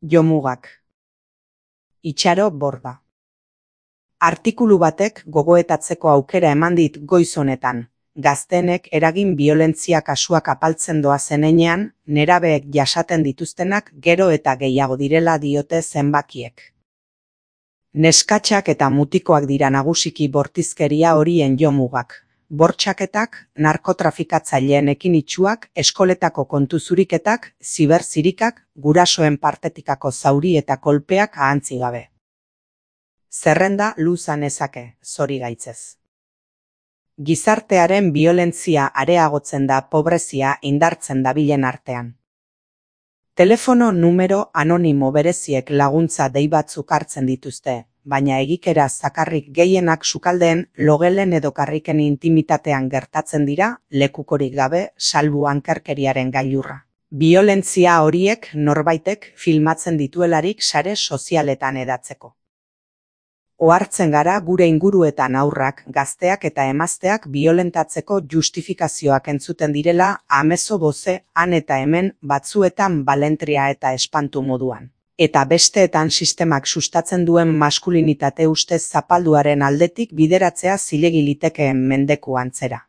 Jomugak. Itxaro Borda. Artikulu batek gogoetatzeko aukera eman dit goiz honetan. Gazteenek eragin biolentzia kasuak apaltzen doazen heinean, nerabeek jasaten dituztenak gero eta gehiago direla diote zenbakiek. Neskatxak eta mutikoak dira nagusiki bortizkeria horien jomugak. Bortxaketak, narkotrafikatzaileen ekinitsuak, eskoletako kontu zuriketak, ziberzirikak, gurasoen partetikako zauri eta kolpeak ahantzi gabe. Zerrenda luza nezake, zorigaitzez. Gizartearen biolentzia areagotzen da pobrezia indartzen dabilen artean. Telefono numero anonimo bereziek laguntza dei batzuk hartzen dituzte, baina egikera zakarrik gehienak sukaldeen, logelen edo karriken intimitatean gertatzen dira, lekukorik gabe, salbu ankerkeriaren gailurra. Biolentzia horiek norbaitek filmatzen dituelarik sare sozialetan edatzeko. Ohartzen gara gure inguruetan haurrak, gazteak eta emazteak biolentatzeko justifikazioak entzuten direla amezo boze, han eta hemen, batzuetan balentria eta espantu moduan. Eta besteetan sistemak sustatzen duen maskulinitate ustez zapalduaren aldetik bideratzea zilegi litekeen mendeku antzera.